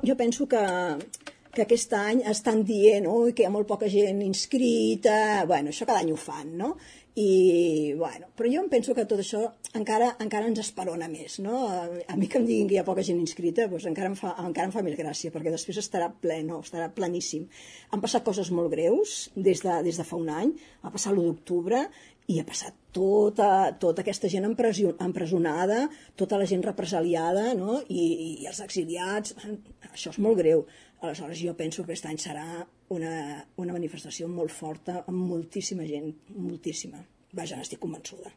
jo penso que aquest any estan dient que hi ha molt poca gent inscrita, bueno, això cada any ho fan, no? I, bueno, però jo em penso que tot això encara ens esperona més, no? A mi que em diguin que hi ha poca gent inscrita, doncs encara em fa més gràcia, perquè després estarà ple, no? Estarà pleníssim. Han passat coses molt greus des de fa un any, va passar l'1 d'octubre, i ha passat tota aquesta gent empresonada, tota la gent represaliada, no? I els exiliats, això és molt greu. Aleshores jo penso que aquest any serà una manifestació molt forta, amb moltíssima gent, moltíssima. Vaja, n'estic convençuda.